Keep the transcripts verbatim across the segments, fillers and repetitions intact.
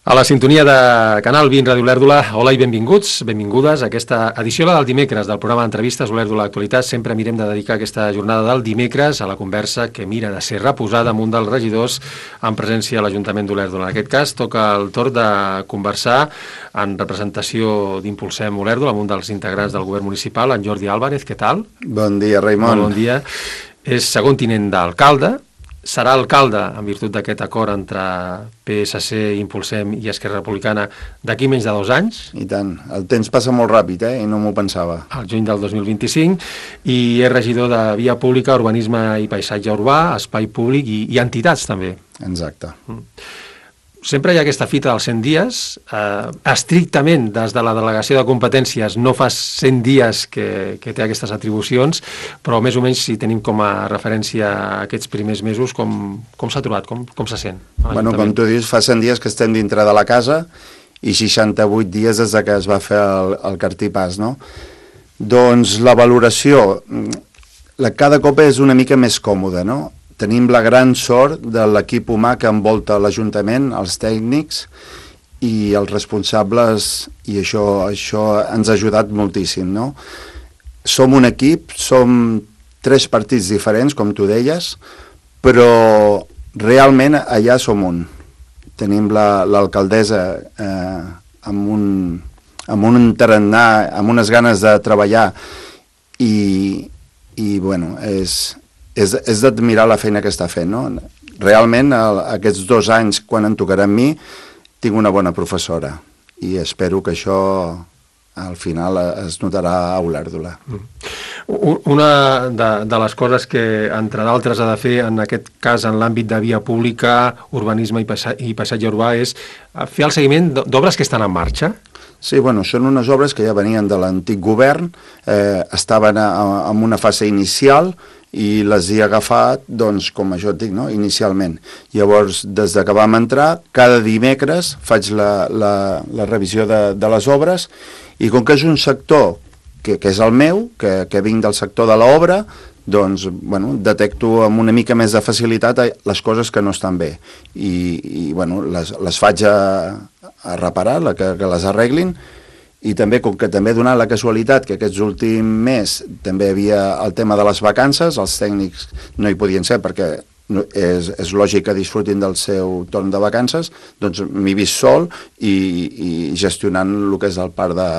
A la sintonia de Canal vint Ràdio Olèrdola, hola i benvinguts, benvingudes a aquesta edició del dimecres del programa d'entrevistes Olèrdola Actualitat. Sempre mirem de dedicar aquesta jornada del dimecres a la conversa que mira de ser reposada amb un dels regidors en presència a l'Ajuntament d'Olèrdola. En aquest cas toca el torn de conversar en representació d'Impulsem Olèrdola amb un dels integrants del govern municipal, en Jordi Álvarez. Què tal? Bon dia, Raimon. Bon dia. És segon tinent d'alcalde. Serà alcalde, en virtut d'aquest acord entre P S C, Impulsem i Esquerra Republicana, d'aquí menys de dos anys. I tant. El temps passa molt ràpid, eh? I no m'ho pensava. Al juny del dos mil vint-i-cinc, i és regidor de Via Pública, Urbanisme i Paisatge Urbà, Espai Públic i, i entitats, també. Exacte. Mm. Sempre hi ha aquesta fita dels cent dies. Eh, estrictament, des de la delegació de competències, no fa cent dies que, que té aquestes atribucions, però més o menys si tenim com a referència aquests primers mesos, com, com s'ha trobat, com, com se sent? Bueno, com tu dius, fa cent dies que estem dintre de la casa i seixanta-vuit dies des de que es va fer el, el cartipàs, no? Doncs la valoració, la, cada cop és una mica més còmoda, no? Tenim la gran sort de l'equip humà que envolta l'Ajuntament, els tècnics i els responsables, i això, això ens ha ajudat moltíssim, no? Som un equip, som tres partits diferents, com tu deies, però realment allà som un. Tenim l'alcaldessa eh, amb, un, amb un tarannà, amb unes ganes de treballar i, i bueno, és... és, és d'admirar la feina que està fent, no? Realment, el, aquests dos anys, quan em tocarà a mi, tinc una bona professora i espero que això al final es notarà a Olèrdola. Una de, de les coses que, entre d'altres, ha de fer, en aquest cas, en l'àmbit de via pública, urbanisme i, paisa i paisatge urbà, és fer el seguiment d'obres que estan en marxa. Sí, bueno, són unes obres que ja venien de l'antic govern, eh, estaven a, a, en una fase inicial, i les he agafat, doncs, com això et dic, no? Inicialment. Llavors, des que vam entrar, cada dimecres faig la, la, la revisió de, de les obres, i com que és un sector que, que és el meu, que, que vinc del sector de l'obra, doncs, bueno, detecto amb una mica més de facilitat les coses que no estan bé. I, i bueno, les, les faig a, a reparar, la, que, que les arreglin. I també, com que també he donat la casualitat que aquests últims mes també hi havia el tema de les vacances, els tècnics no hi podien ser perquè és, és lògic que disfrutin del seu torn de vacances, doncs m'he vist sol i, i gestionant el que és el parc de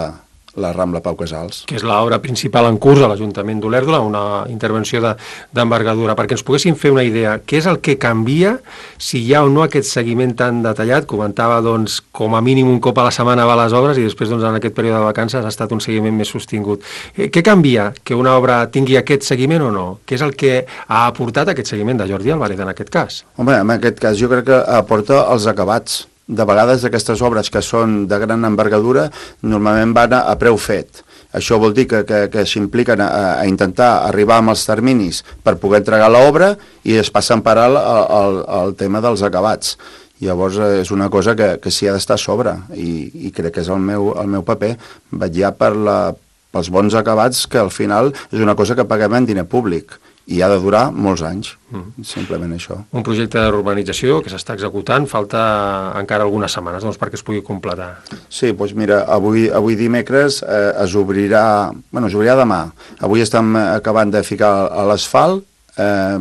la Rambla Pau Casals. Que és l'obra principal en curs a l'Ajuntament d'Olèrdola, una intervenció d'envergadura. De, perquè ens poguéssim fer una idea, què és el que canvia si hi ha o no aquest seguiment tan detallat? Comentava, doncs, com a mínim un cop a la setmana va a les obres i després, doncs, en aquest període de vacances ha estat un seguiment més sostingut. Eh, què canvia? Que una obra tingui aquest seguiment o no? Què és el que ha aportat aquest seguiment de Jordi Álvarez en aquest cas? Home, en aquest cas jo crec que aporta els acabats. De vegades aquestes obres que són de gran envergadura normalment van a, a preu fet. Això vol dir que, que, que s'impliquen a, a intentar arribar amb els terminis per poder entregar l'obra i es passen per al, al, al tema dels acabats. Llavors és una cosa que, que s'hi ha d'estar a sobre i, i crec que és el meu, el meu paper, vetllar per la, pels bons acabats, que al final és una cosa que paguem en diner públic i ha de durar molts anys, mm. simplement això. Un projecte d'urbanització que s'està executant, falta encara algunes setmanes, doncs, perquè es pugui completar. Sí, doncs mira, avui, avui dimecres eh, es obrirà, bueno, es obrirà demà. Avui estem acabant de ficar a l'asfalt, eh,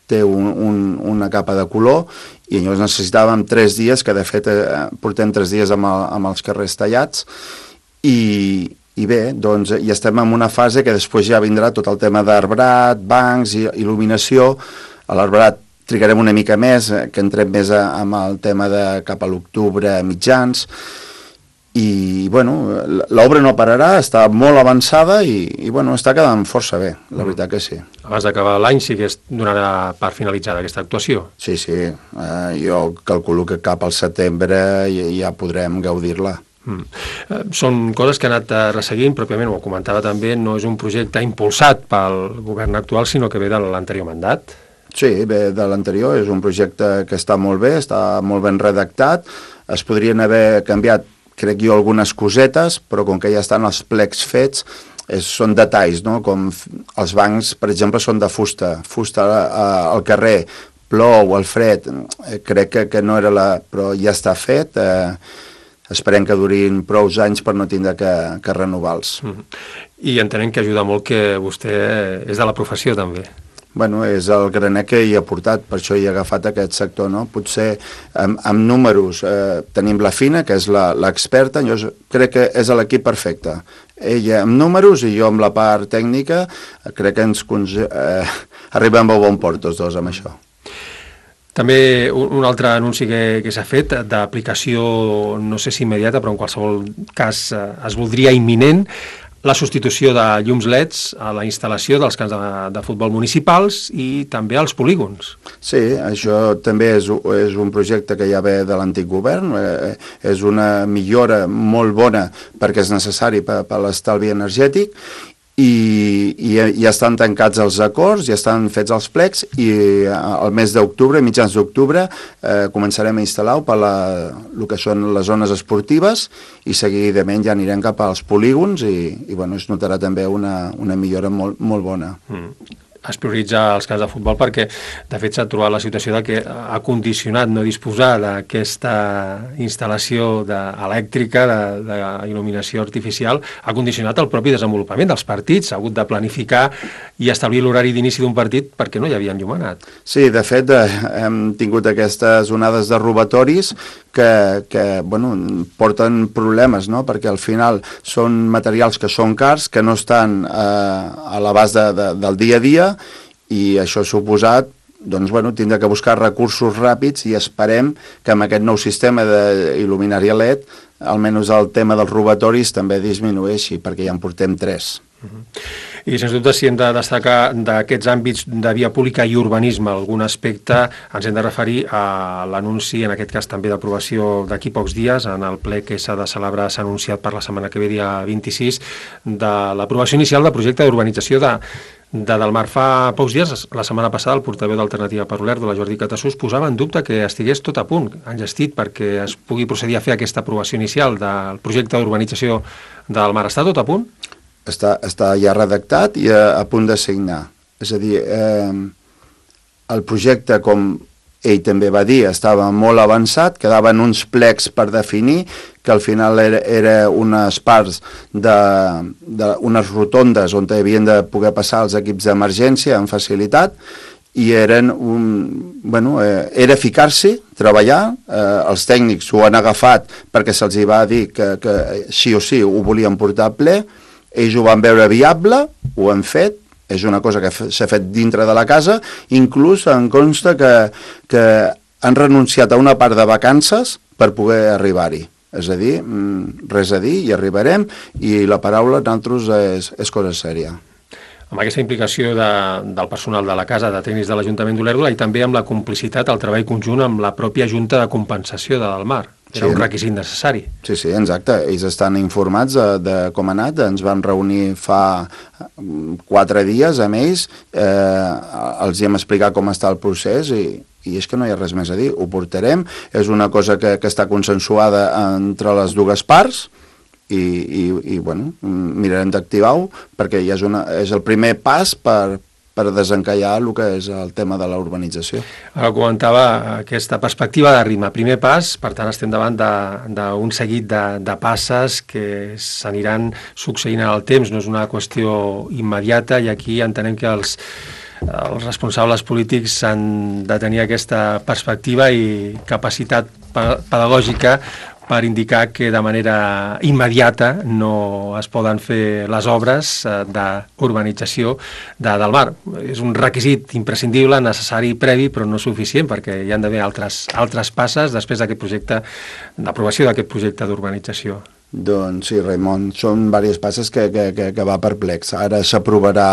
té un, un, una capa de color, i llavors necessitàvem tres dies, que de fet eh, portem tres dies amb, el, amb els carrers tallats, i... I bé, doncs ja estem en una fase que després ja vindrà tot el tema d'arbrat, bancs i il·luminació. A l'arbrat trigarem una mica més, que entrem més a, amb el tema de cap a l'octubre mitjans. I, bueno, l'obra no pararà, està molt avançada i, i bueno, està quedant força bé, la veritat que sí. Abans d'acabar l'any sí que es donarà per finalitzada aquesta actuació? Sí, sí. Eh, jo calculo que cap al setembre ja, ja podrem gaudir-la. Mm. Són coses que ha anat resseguint, pròpiament ho comentava també, no és un projecte impulsat pel govern actual, sinó que ve de l'anterior mandat. Sí, ve de l'anterior, és un projecte que està molt bé, està molt ben redactat, es podrien haver canviat, crec jo, algunes cosetes, però com que ja estan els plecs fets, és, són detalls, no? Com els bancs, per exemple, són de fusta, fusta al carrer, plou, el fred, eh, crec que, que no era la... però ja està fet, eh, esperem que durin prou anys per no tindre que, que renovar-los. Mm. I entenem que ajuda molt que vostè és de la professió també. Bueno, és el graner que hi ha portat, per això hi ha agafat aquest sector, no? Potser amb, amb números eh, tenim la Fina, que és l'experta, jo crec que és l'equip perfecte. Ella amb números i jo amb la part tècnica, crec que ens eh, arribem a bon port tots dos amb això. També un altre anunci que, que s'ha fet d'aplicació, no sé si immediata, però en qualsevol cas eh, es voldria imminent, la substitució de llums L E Ds a la instal·lació dels camps de, de futbol municipals i també als polígons. Sí, això també és, és un projecte que ja ve de l'antic govern, eh, és una millora molt bona perquè és necessari per, per l'estalvi energètic, i, i ja estan tancats els acords, ja estan fets els plecs i al mes d'octubre, mitjans d'octubre, eh, començarem a instal·lar-ho per la, el que són les zones esportives i seguidament ja anirem cap als polígons i, i bueno, es notarà també una, una millora molt, molt bona. Mm. Es prioritza els camps de futbol perquè, de fet, s'ha trobat la situació de que ha condicionat no disposar d'aquesta instal·lació de, elèctrica, d'il·luminació artificial, ha condicionat el propi desenvolupament dels partits, s'ha hagut de planificar i establir l'horari d'inici d'un partit perquè no hi havia enllumenat. Sí, de fet, eh, hem tingut aquestes onades de robatoris que, que bueno, porten problemes, no? Perquè al final són materials que són cars, que no estan eh, a l'abast de, de, del dia a dia, i això ha suposat doncs, bueno, tindrà que buscar recursos ràpids i esperem que amb aquest nou sistema d'il·luminària L E D almenys el tema dels robatoris també disminueixi, perquè ja en portem tres. Uh-huh. I sens dubte, si hem de destacar d'aquests àmbits de via pública i urbanisme algun aspecte, ens hem de referir a l'anunci, en aquest cas també d'aprovació d'aquí pocs dies, en el ple que s'ha de celebrar, s'ha anunciat per la setmana que ve, dia vint-i-sis, de l'aprovació inicial del projecte d'urbanització de de Delmar. Fa pocs dies, la setmana passada, el portaveu d'Alternativa per Olèrdola, Jordi Catassús, posava en dubte que estigués tot a punt, enllestit, perquè es pugui procedir a fer aquesta aprovació inicial del projecte d'urbanització de Delmar. Està tot a punt? Està, està ja redactat i a, a punt de signar. És a dir, eh, el projecte, com ell també va dir, estava molt avançat, quedaven uns plecs per definir, que al final era, era unes parts de, de unes rotondes on havien de poder passar els equips d'emergència amb facilitat, i eren un, bueno, eh, era ficar-s'hi, treballar, eh, els tècnics ho han agafat perquè se'ls va dir que, que sí o sí ho volien portar a ple, ells ho van veure viable, ho han fet, és una cosa que s'ha fet dintre de la casa, inclús em consta que, que han renunciat a una part de vacances per poder arribar-hi. És a dir, res a dir, hi arribarem, i la paraula nosaltres és, és cosa sèria. Amb aquesta implicació de, del personal de la casa, de tècnics de l'Ajuntament d'Olèrdola, i també amb la complicitat, el treball conjunt amb la pròpia Junta de Compensació de Delmar. Era sí, un requisit necessari. Sí, sí, exacte. Ells estan informats de, de com ha anat. Ens van reunir fa quatre dies amb ells, eh, els hi hem explicat com està el procés i, i és que no hi ha res més a dir. Ho portarem, és una cosa que, que està consensuada entre les dues parts, i, i, i bueno, mirarem d'activar-ho perquè ja és, una, és el primer pas per, per desencallar el que és el tema de la urbanització. Ara comentava aquesta perspectiva de ritme. Primer pas, per tant estem davant d'un seguit de, de passes que s'aniran succeint en el temps, no és una qüestió immediata, i aquí entenem que els, els responsables polítics han de tenir aquesta perspectiva i capacitat pedagògica per indicar que de manera immediata no es poden fer les obres d'urbanització de Delmar. És un requisit imprescindible, necessari, previ, però no suficient, perquè hi han d'haver altres, altres passes després d'aquest projecte, d'aprovació d'aquest projecte d'urbanització. Doncs sí, Raimon, són diverses passes que, que, que, que va perplex. Ara s'aprovarà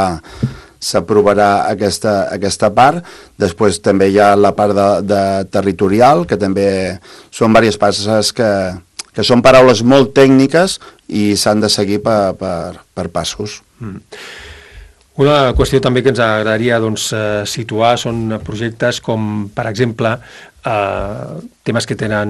s'aprovarà aquesta, aquesta part, després també hi ha la part de, de territorial, que també són diverses passes que, que són paraules molt tècniques i s'han de seguir per, per, per passos. Mm. Una qüestió també que ens agradaria doncs, situar són projectes com, per exemple, Uh, temes que tenen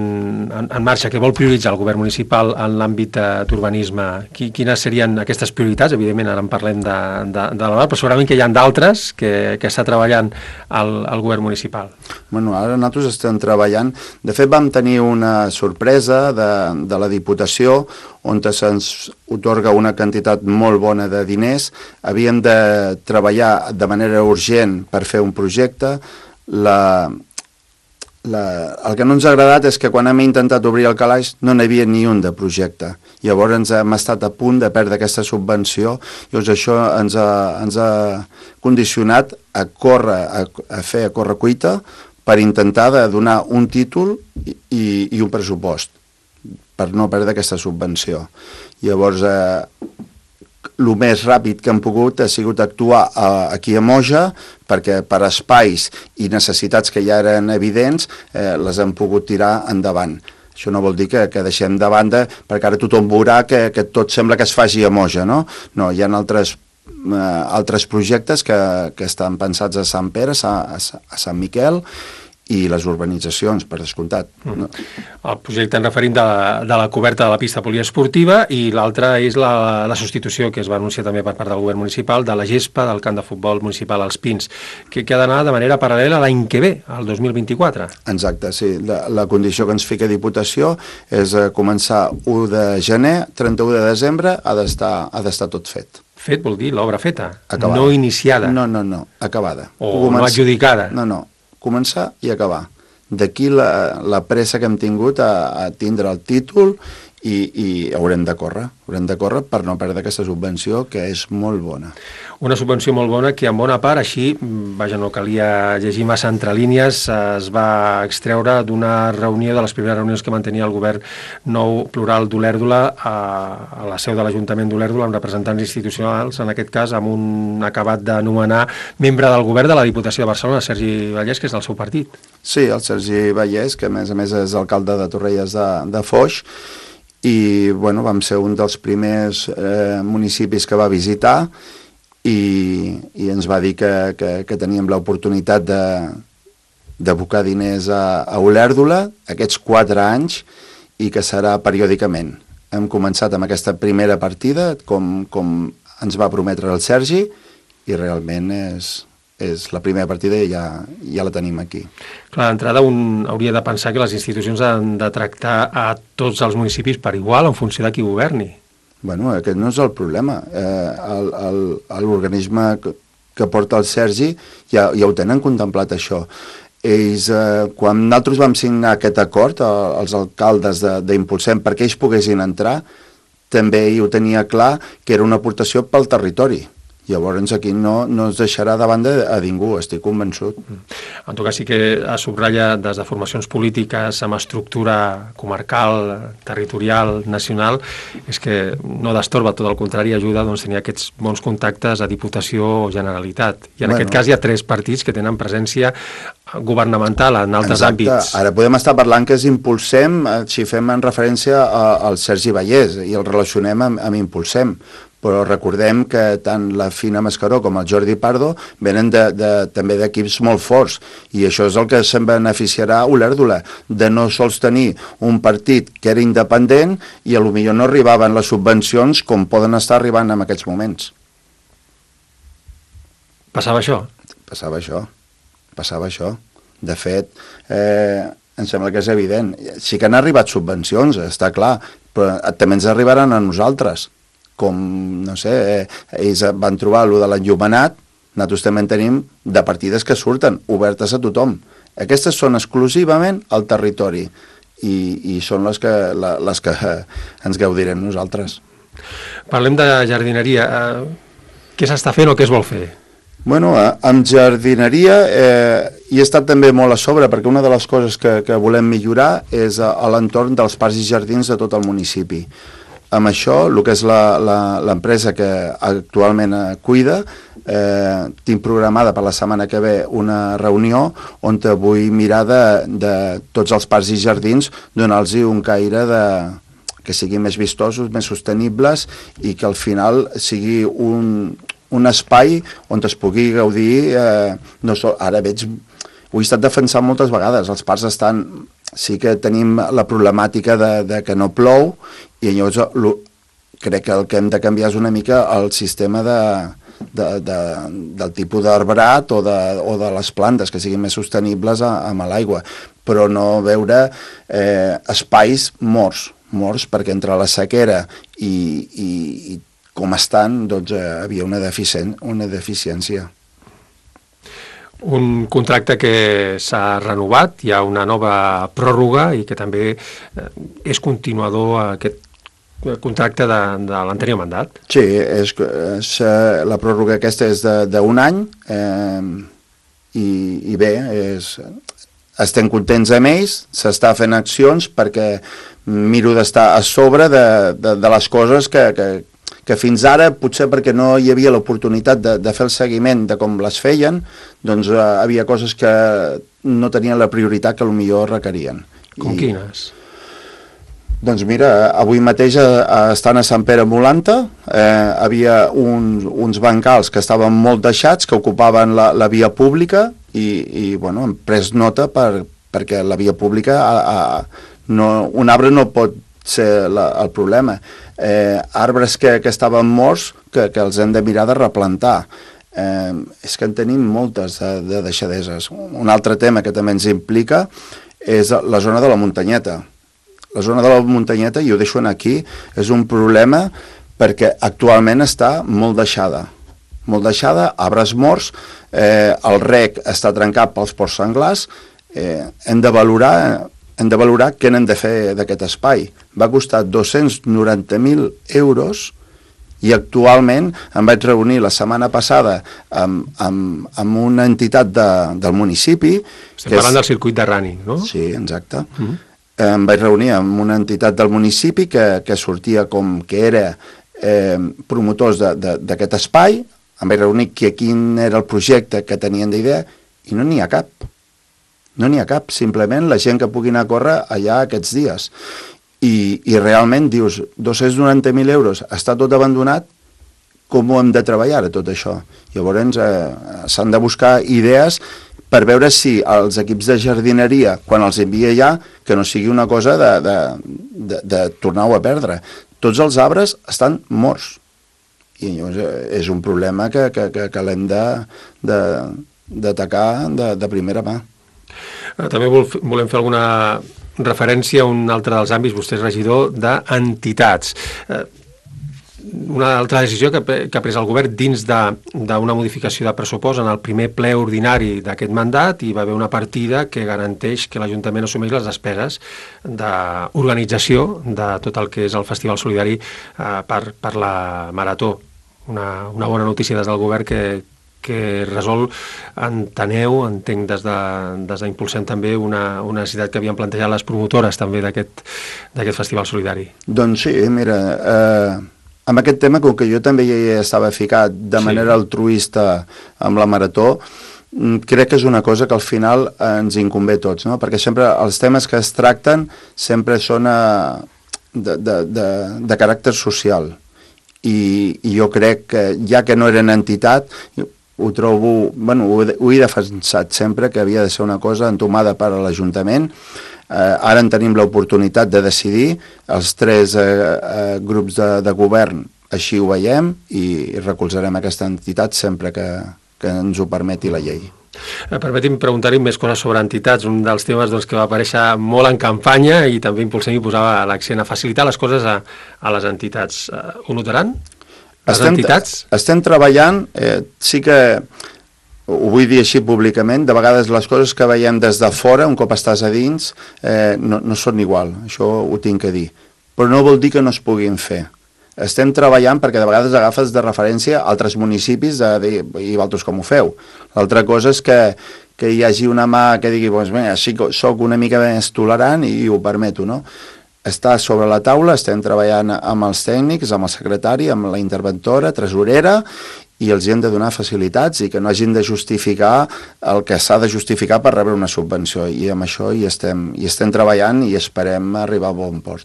en, en marxa, que vol prioritzar el govern municipal en l'àmbit d'urbanisme. Qui, quines serien aquestes prioritats? Evidentment, ara en parlem de, de, de la però segurament que hi ha d'altres que, que està treballant el, el govern municipal. Bueno, ara nosaltres estem treballant. De fet, vam tenir una sorpresa de, de la Diputació on se'ns otorga una quantitat molt bona de diners. Havíem de treballar de manera urgent per fer un projecte. La... La, el que no ens ha agradat és que quan hem intentat obrir el calaix no n'hi havia ni un de projecte. Llavors ens hem estat a punt de perdre aquesta subvenció, llavors això ens ha, ens ha condicionat a córrer, a, a fer a córrer cuita per intentar de donar un títol i, i, i un pressupost per no perdre aquesta subvenció. Llavors, eh, el més ràpid que hem pogut ha sigut actuar a, aquí a Moja, perquè per espais i necessitats que ja eren evidents eh, les hem pogut tirar endavant. Això no vol dir que, que deixem de banda, perquè ara tothom veurà que, que tot sembla que es faci a Moja, no? No, hi ha altres, eh, altres projectes que, que estan pensats a Sant Pere, a, a, a Sant Miquel, i les urbanitzacions, per descomptat. Mm. El projecte en referim de la, de la coberta de la pista poliesportiva i l'altre és la, la substitució que es va anunciar també per part del govern municipal de la gespa del camp de futbol municipal als Pins, que, que ha d'anar de manera paral·lela l'any que ve, el dos mil vint-i-quatre. Exacte, sí. La, la condició que ens fica Diputació és eh, començar u de gener, trenta-u de desembre, ha d'estar ha d'estar tot fet. Fet vol dir l'obra feta, acabada. No iniciada. No, no, no, acabada. O Començ... no adjudicada. No, no. Començar i acabar. D'aquí la, la pressa que hem tingut a, a tindre el títol i, i haurem de córrer, haurem de córrer per no perdre aquesta subvenció, que és molt bona. Una subvenció molt bona que en bona part, així, vaja, no calia llegir massa entre línies, es va extreure d'una reunió, de les primeres reunions que mantenia el govern nou plural d'Olèrdola a, a la seu de l'Ajuntament d'Olèrdola amb representants institucionals, en aquest cas amb un acabat d'anomenar membre del govern de la Diputació de Barcelona, Sergi Vallès, que és del seu partit. Sí, el Sergi Vallès, que a més a més és alcalde de Torrelles de, de Foix, i bueno, vam ser un dels primers eh, municipis que va visitar i, i ens va dir que, que, que teníem l'oportunitat de d'abocar diners a, a Olèrdola aquests quatre anys i que serà periòdicament. Hem començat amb aquesta primera partida, com, com ens va prometre el Sergi, i realment és... és la primera partida i ja, ja la tenim aquí. Clar, d'entrada un hauria de pensar que les institucions han de tractar a tots els municipis per igual en funció de qui governi. Bueno, aquest no és el problema. Eh, L'organisme que, que porta el Sergi ja, ja ho tenen contemplat, això. Ells, eh, quan nosaltres vam signar aquest acord, eh, els alcaldes d'Impulsem, perquè ells poguessin entrar, també ho tenia clar que era una aportació pel territori. Llavors aquí no, no es deixarà de banda a ningú, estic convençut. En tot cas sí que es subratlla des de formacions polítiques amb estructura comarcal, territorial, nacional, és que no destorba, tot el contrari, ajuda doncs, tenir aquests bons contactes a Diputació o Generalitat. I en bueno, aquest cas hi ha tres partits que tenen presència governamental en altres exacte. àmbits. Ara podem estar parlant que és Impulsem, si fem en referència a, al Sergi Vallès i el relacionem amb, amb Impulsem, però recordem que tant la Fina Mascaró com el Jordi Pardo venen de, de, també d'equips molt forts, i això és el que se'n beneficiarà a Olèrdola, de no sols tenir un partit que era independent i potser no arribaven les subvencions com poden estar arribant en aquests moments. Passava això? Passava això, passava això. De fet, eh, em sembla que és evident. Sí que han arribat subvencions, està clar, però també ens arribaran a nosaltres. Com, no sé, eh, ells van trobar allò de l'enllumenat, nosaltres també en tenim de partides que surten, obertes a tothom. Aquestes són exclusivament al territori i, i són les que, la, les que ens gaudirem nosaltres. Parlem de jardineria. Què s'està fent o què es vol fer? Bueno, amb jardineria eh, hi he estat també molt a sobre, perquè una de les coses que, que volem millorar és a, a l'entorn dels parcs i jardins de tot el municipi. Amb això, el que és l'empresa que actualment cuida, eh, tinc programada per la setmana que ve una reunió on vull mirar de, de tots els parcs i jardins, donar-los un caire de, que siguin més vistosos, més sostenibles i que al final sigui un, un espai on es pugui gaudir, eh, no sol, ara veig ho he estat defensant moltes vegades. Els parcs estan... Sí que tenim la problemàtica de, de que no plou i llavors lo, crec que el que hem de canviar és una mica el sistema de, de, de, del tipus d'arbrat o, de, o de les plantes, que siguin més sostenibles a, amb l'aigua, però no veure eh, espais morts, morts perquè entre la sequera i, i, i com estan, doncs eh, havia una, deficient, una deficiència. Un contracte que s'ha renovat, hi ha una nova pròrroga i que també és continuador aquest contracte de, de l'anterior mandat. Sí, és, és, la pròrroga aquesta és d'un any eh, i, i bé, és, estem contents amb ells, s'està fent accions perquè miro d'estar a sobre de, de, de les coses que, que, que fins ara, potser perquè no hi havia l'oportunitat de, de fer el seguiment de com les feien, doncs eh, havia coses que no tenien la prioritat que potser requerien. Com I, quines? Doncs mira, avui mateix eh, estan a Sant Pere Molanta, eh, havia uns, uns bancals que estaven molt deixats, que ocupaven la, la via pública i, i bueno, hem pres nota per, perquè la via pública, a, a, no, un arbre no pot ser la, el problema. Eh, arbres que, que estaven morts que, que els hem de mirar de replantar. Eh, és que en tenim moltes de, de deixadeses. Un altre tema que també ens implica és la zona de la muntanyeta. La zona de la muntanyeta, i ho deixo aquí, és un problema perquè actualment està molt deixada. Molt deixada, arbres morts, eh, el rec està trencat pels porcs senglars, eh, hem de valorar... hem de valorar què n'hem de fer d'aquest espai. Va costar dos-cents noranta mil euros i actualment em vaig reunir la setmana passada amb, amb, amb una entitat de, del municipi... Estem parlant és... del circuit de running, no? Sí, exacte. Uh -huh. Em vaig reunir amb una entitat del municipi que, que sortia com que era eh, promotors d'aquest espai, em vaig reunir que quin era el projecte que tenien d'idea i no n'hi ha cap. No n'hi ha cap, simplement la gent que pugui anar a córrer allà aquests dies. I, i realment dius, dos-cents noranta mil euros, està tot abandonat, com ho hem de treballar ara tot això? Llavors eh, s'han de buscar idees per veure si els equips de jardineria, quan els envia allà, que no sigui una cosa de, de, de, de tornar-ho a perdre. Tots els arbres estan morts. I llavors és un problema que, que, que, que l'hem d'atacar de, de, de primera mà. També volem fer alguna referència a un altre dels àmbits, vostè és regidor d'entitats. Una altra decisió que, que ha pres el govern dins d'una modificació de pressupost en el primer ple ordinari d'aquest mandat, hi va haver una partida que garanteix que l'Ajuntament assumeix les despeses d'organització de tot el que és el Festival Solidari eh, per, per la Marató. Una, una bona notícia des del govern que que resol, enteneu, entenc des d'impulsem de, també una, una necessitat que havien plantejat les promotores també d'aquest Festival Solidari. Doncs sí, mira, eh, amb aquest tema, com que jo també hi estava ficat de manera sí. altruista amb la Marató, crec que és una cosa que al final ens inconvé a tots, no? Perquè sempre els temes que es tracten sempre són a, de, de, de, de caràcter social. I, i jo crec que, ja que no eren entitat, ho trobo, bueno, ho, ho he defensat sempre, que havia de ser una cosa entomada per a l'Ajuntament. Eh, ara en tenim l'oportunitat de decidir, els tres eh, eh, grups de, de govern així ho veiem i recolzarem aquesta entitat sempre que, que ens ho permeti la llei. Permeti'm preguntar-hi més coses sobre entitats. Un dels temes doncs, que va aparèixer molt en campanya i també Impulsem i posava l'accent a facilitar les coses a, a les entitats. Ho notaran? Les estem, entitats? Estem treballant, eh, sí que ho vull dir així públicament, de vegades les coses que veiem des de fora, un cop estàs a dins, eh, no, no són igual, això ho tinc que dir. Però no vol dir que no es puguin fer. Estem treballant perquè de vegades agafes de referència altres municipis de dir, i vosaltres com ho feu. L'altra cosa és que, que hi hagi una mà que digui, doncs bé, sí que soc una mica més tolerant i ho permeto, no? Està sobre la taula, estem treballant amb els tècnics, amb el secretari, amb la interventora, tresorera, i els hi hem de donar facilitats i que no hagin de justificar el que s'ha de justificar per rebre una subvenció. I amb això hi estem, hi estem treballant i esperem arribar a bon port.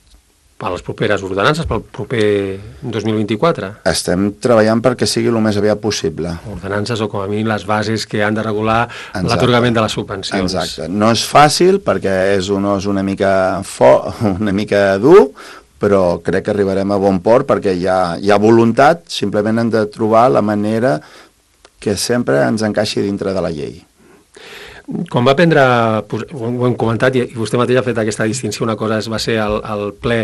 per les properes ordenances, pel proper dos mil vint-i-quatre? Estem treballant perquè sigui el més aviat possible. Ordenances o com a mínim les bases que han de regular l'atorgament de les subvencions. Exacte. No és fàcil perquè és un os una mica, fo una mica dur, però crec que arribarem a bon port perquè hi ha, hi ha voluntat, simplement hem de trobar la manera que sempre ens encaixi dintre de la llei. Quan va prendre, ho hem comentat i vostè mateix ha fet aquesta distinció, una cosa va ser el, el ple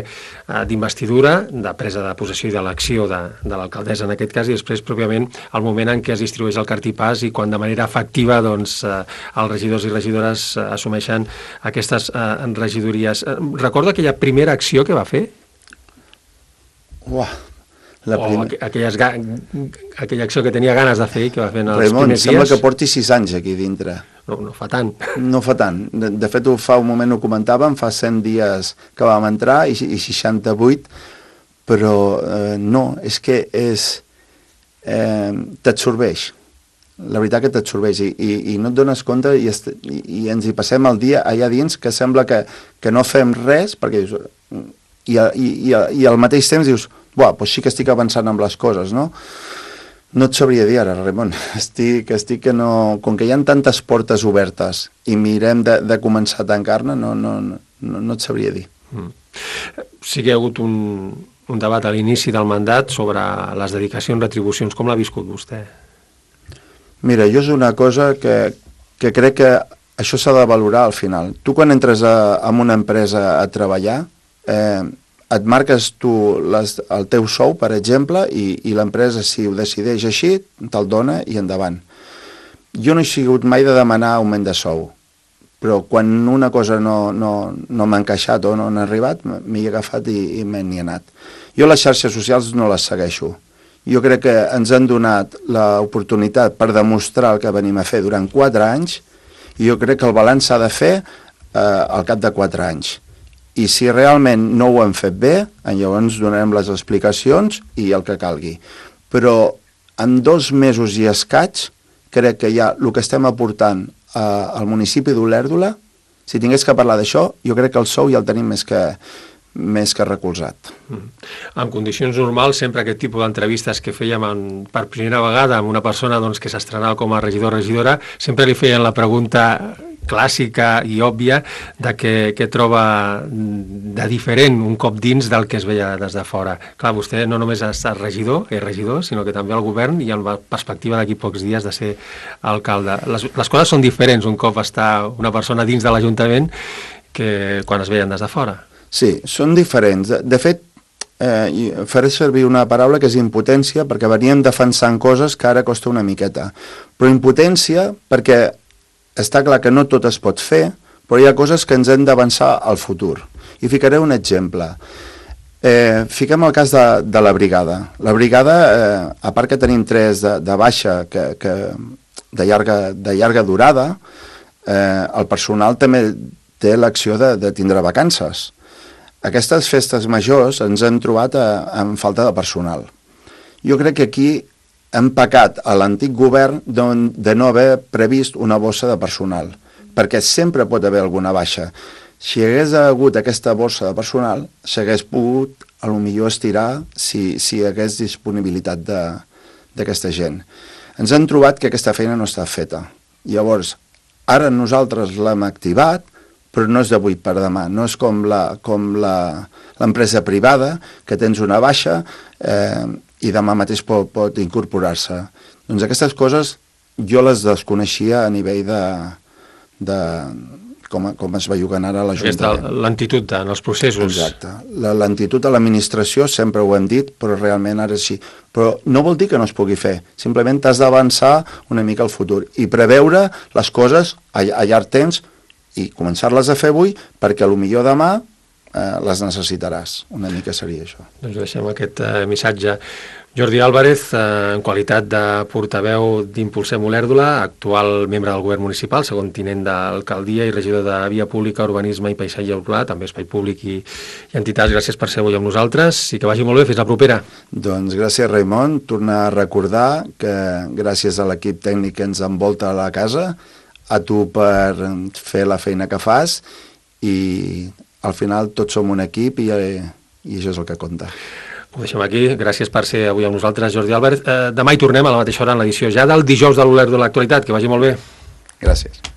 d'investidura, de presa de possessió i d'elecció de, de l'alcaldessa en aquest cas, i després pròpiament el moment en què es distribueix el cartipàs i quan de manera efectiva doncs, els regidors i regidores assumeixen aquestes regidories. Recorda aquella primera acció que va fer? Uah, la o primer... aquelles ga... aquella acció que tenia ganes de fer i que va fer en els Raimon, primers dies? sembla que porti sis anys aquí dintre. No, no fa tant. No fa tant. De, de fet, fa un moment ho comentàvem, fa cent dies que vam entrar i, i seixanta-vuit, però eh, no, és que és... Eh, t'absorbeix. La veritat que t'absorbeix i, i, i no et dones compte i, est, i, i ens hi passem el dia allà dins que sembla que, que no fem res, perquè dius... I, i, i, i al mateix temps dius, buah, doncs sí que estic avançant amb les coses, no? No et sabria dir ara, Ramon. Estic, estic que no... Com que hi ha tantes portes obertes i mirem de, de començar a tancar-ne, no, no, no, no et sabria dir. Mm. Sí que hi ha hagut un, un debat a l'inici del mandat sobre les dedicacions, retribucions. Com l'ha viscut vostè? Mira, jo és una cosa que, que crec que això s'ha de valorar al final. Tu quan entres a, a una empresa a treballar, eh, et marques tu les, el teu sou, per exemple, i, i l'empresa, si ho decideix així, te'l dona i endavant. Jo no he sigut mai de demanar augment de sou, però quan una cosa no, no, no m'ha encaixat o no n'ha arribat, m'hi he agafat i, i me n'hi he anat. Jo les xarxes socials no les segueixo. Jo crec que ens han donat l'oportunitat per demostrar el que venim a fer durant quatre anys i jo crec que el balanç s'ha de fer eh, al cap de quatre anys. I si realment no ho hem fet bé, llavors donarem les explicacions i el que calgui. Però en dos mesos i escaig, crec que ja el que estem aportant eh, al municipi d'Olèrdola, si tingués que parlar d'això, jo crec que el sou ja el tenim més que, més que recolzat. Mm. En condicions normals, sempre aquest tipus d'entrevistes que fèiem en, per primera vegada amb una persona doncs, que s'estrenava com a regidor o regidora, sempre li feien la pregunta clàssica i òbvia de què, què troba de diferent un cop dins del que es veia des de fora. Clar, vostè no només ha estat regidor, és regidor, sinó que també al govern i amb la perspectiva d'aquí pocs dies de ser alcalde. Les, les coses són diferents un cop està una persona dins de l'Ajuntament que quan es veien des de fora. Sí, són diferents. De, de fet, eh, faré servir una paraula que és impotència, perquè veníem defensant coses que ara costa una miqueta. Però impotència perquè està clar que no tot es pot fer, però hi ha coses que ens hem d'avançar al futur. I ficaré un exemple. Eh, fiquem el cas de, de la brigada. La brigada, eh, a part que tenim tres de, de baixa que, que de, llarga, de llarga durada, eh, el personal també té l'acció de, de tindre vacances. Aquestes festes majors ens hem trobat a, amb falta de personal. Jo crec que aquí hem pecat a l'antic govern de no haver previst una bossa de personal, perquè sempre pot haver alguna baixa. Si hi hagués hagut aquesta bossa de personal, s'hagués pogut, a lo millor, estirar si, si hi hagués disponibilitat d'aquesta gent. Ens hem trobat que aquesta feina no està feta. Llavors, ara nosaltres l'hem activat, però no és d'avui per demà. No és com l'empresa privada, que tens una baixa eh, i demà mateix pot, pot incorporar-se. Doncs aquestes coses jo les desconeixia a nivell de, de com, com es bellugan ara a l'Ajuntament. Lentitud en els processos. Exacte. La lentitud a l'administració, sempre ho hem dit, però realment ara sí. Però no vol dir que no es pugui fer. Simplement t'has d'avançar una mica al futur i preveure les coses a, a llarg temps i començar-les a fer avui perquè a lo millor demà eh, les necessitaràs. Una mica seria això. Doncs deixem aquest eh, missatge. Jordi Álvarez, eh, en qualitat de portaveu d'Impulsem Olèrdola, actual membre del govern municipal, segon tinent d'alcaldia i regidor de Via Pública, Urbanisme i Paisatge Urbà, també Espai Públic i, i entitats. Gràcies per ser avui amb nosaltres i que vagi molt bé. Fins la propera. Doncs gràcies, Raimon. Tornar a recordar que gràcies a l'equip tècnic que ens envolta a la casa, a tu per fer la feina que fas i al final tots som un equip i, i això és el que compta. Ho deixem aquí. Gràcies per ser avui amb nosaltres, Jordi Albert. Eh, demà hi tornem a la mateixa hora en l'edició ja del dijous de l'Olerd de l'Actualitat. Que vagi molt bé. Gràcies.